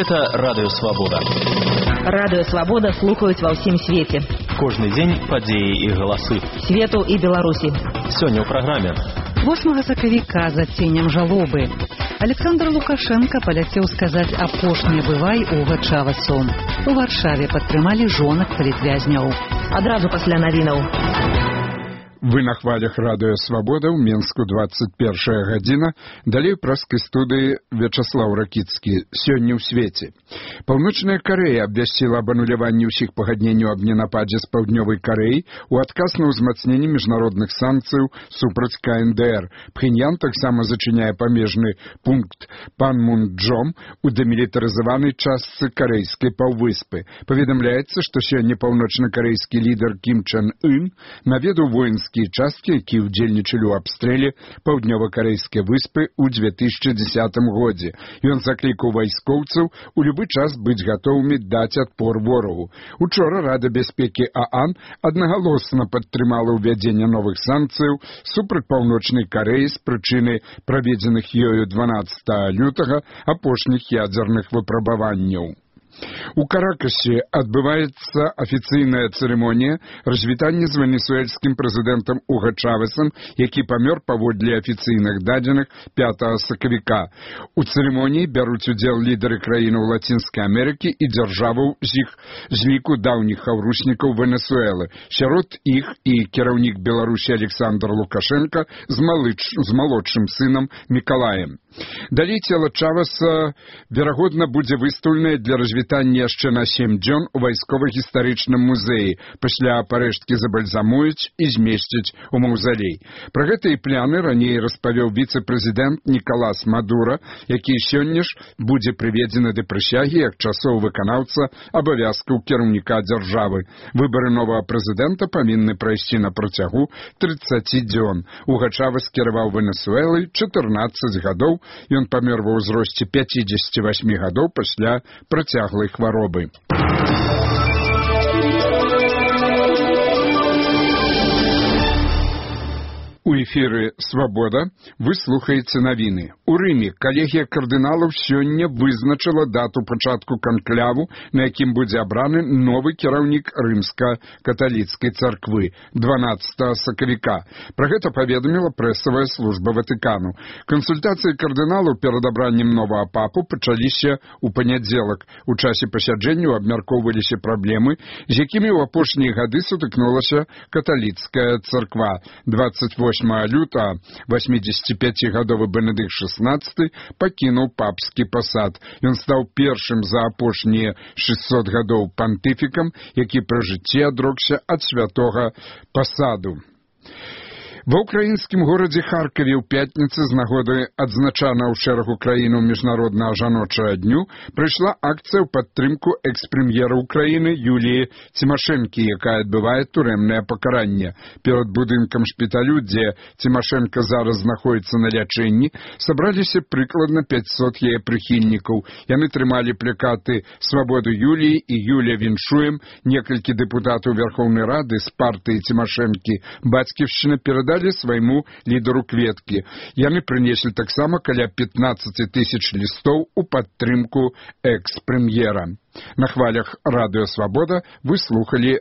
Гэта радыёвабода. Радыёвабода слухаюць ва ўсім свеце. Кожны дзень падзеі і галасы. Свету і Беларусі. Сёння ў праграме. 8 сакавіка за ценем жалобы. Александр Лукашенко паляцеў сказаць апошні бывай у Гачавасу. У Варшаве падтрымалі жонак палітвязняў. Адразу пасля навінаў. Вы на хвалях радыё «Свабода» ў Менску 21 гадзіна. Далей праскай студыі Вячаслаў Ракіцкі. Сёння ў свеце. Паўночная Карэя абвясціла аб ануляванні ўсіх пагадненняў аб ненападзе з Паўднёвай Карэі ў адказ на ўзмацненне міжнародных санкцыяў супраць КНДР. Пхеньян таксама зачыняе памежны пункт Панмунджом у дэмілітарызаванай частцы карэйскай паўвыспы. Паведамляецца, што сёння паўночна-карэйскі лідар Кім Чен Ын наведаў воінскі часткі, які ўдзельнічалі ў абстрэле паўднёва-карэйскай выспы ў 2010 годзе. Ён заклікаў вайскоўцаў у любы час быць гатовымі даць адпор ворагу. Учора Рада бяспекі ААН аднагалосна падтрымала ўвядзенне новых санкцыяў супраць Паўночнай Карэі з прычыны праведзеных ёю 12 лютага апошніх ядзерных выпрабаванняў. У Каракасе адбываецца афіцыйная цырымонія развітання з венесуэльскім прэзідэнтам Уго Чавесам, які памёр паводле афіцыйных дадзеных 5 сакавіка. У цырымоніі бяруць удзел лідары краінаў Лацінскай Амерыкі і дзяржаваў з ліку даўніх хаўруснікаў Венесуэлы. Сярод іх і кіраўнік Беларусі Александр Лукашенко з малодшым сынам Мікалаем. Далей цела Чавеса, верагодна, будзе выстаўленае для развітання яшчэ на 7 дзён у вайскова-гістарычным музеі. Пасля парэшткі забальзамуюць і змесцяць у маўзалей. Пра гэтыя пляны раней распавёў віцэ-прэзідэнт Нікалас Мадура, які сёння ж будзе прыведзены да прысягі як часовы выканаўца абавязкаў кіраўніка дзяржавы. Выбары новага прэзідэнта павінны прайсці на працягу 30 дзён. Уго Чавес кіраваў Венесуэлай 14 гадоў. Ён памёр ва ўзросце 58 гадоў пасля працяглай хваробы. У эфіры «Свабода» вы слухаеце навіны. У Рыме калегія кардыналаў сёння вызначыла дату пачатку канкляву, на якім будзе абраны новы кіраўнік рымска-каталіцкай царквы 12 сакавіка. Пра гэта паведаміла прэсавая служба Ватыкану. Кансультацыі кардыналаў перад абраннем новага папу пачаліся ў панядзелак. У часе пасяджэнняў абмяркоўваліся праблемы, з якімі ў апошнія гады сутыкнулася каталіцкая царква. 28 лютага 85-гадовы Бенедыкт XVI пакінуў папскі пасад. Ён стаў першым за апошнія 600 гадоў пантыфікам, які пры жыцці адрокся ад святога пасаду. Ва ўкраінскім горадзе Харкаве ў пятніцы з нагоды адзначанага ў шэрагу краінаў міжнароднага жаночага дню прыйшла акцыя ў падтрымку экс-прэм'ера ўкраіны Юліі Цімашэнкі, якая адбывае турэмнае пакаранне. Перад будынкам шпіталю, дзе Цімашэнка зараз знаходзіцца на лячэнні, сабраліся прыкладна 500 яе прыхільнікаў. Яны трымалі плакаты «Свабоду Юліі» і «Юля віншуем». Некалькі дэпутатаў Верхоўнай Рады з партыі Цімашэнкі «Бацьківшчына» перадалі свайму лідару кветкі. Яны прынеслі таксама каля 15 000 лістоў у падтрымку экс-прэм'ера. На хвалях радыё «Свабода» вы слухалі